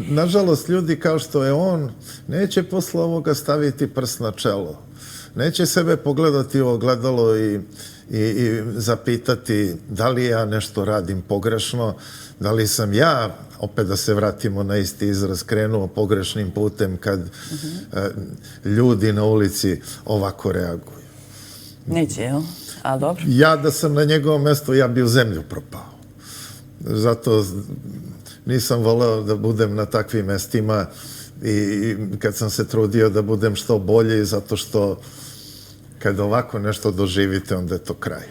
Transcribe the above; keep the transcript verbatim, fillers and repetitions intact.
Nažalost, ljudi kao što je on neće posle ovoga staviti prst na čelo. Neće sebe pogledati u ogledalo i, i, i zapitati da li ja nešto radim pogrešno, da li sam ja, opet da se vratimo na isti izraz, krenuo pogrešnim putem kad uh-huh. e, ljudi na ulici ovako reaguju. Neće, jel? A dobro. Ja da sam na njegovom mjestu, ja bi u zemlju propao. Zato nisam voleo da budem na takvim mestima i kad sam se trudio da budem što bolji, zato što kad ovako nešto doživite, onda je to kraj.